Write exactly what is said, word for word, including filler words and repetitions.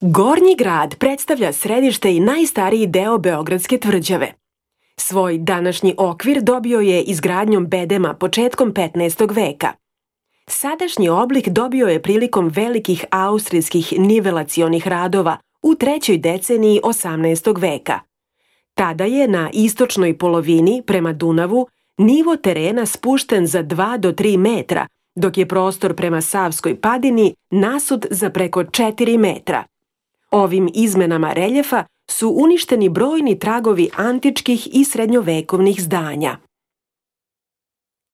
Gornji grad predstavlja središte i najstariji deo Beogradske tvrđave. Svoj današnji okvir dobio je izgradnjom bedema početkom petnaestog veka. Sadašnji oblik dobio je prilikom velikih austrijskih nivelacionih radova u trećoj deceniji osamnaestog veka. Tada je na istočnoj polovini prema Dunavu nivo terena spušten za dva do tri metra, dok je prostor prema Savskoj padini nasut za preko četiri metra. Ovim izmenama reljefa su uništeni brojni tragovi antičkih i srednjovekovnih zdanja.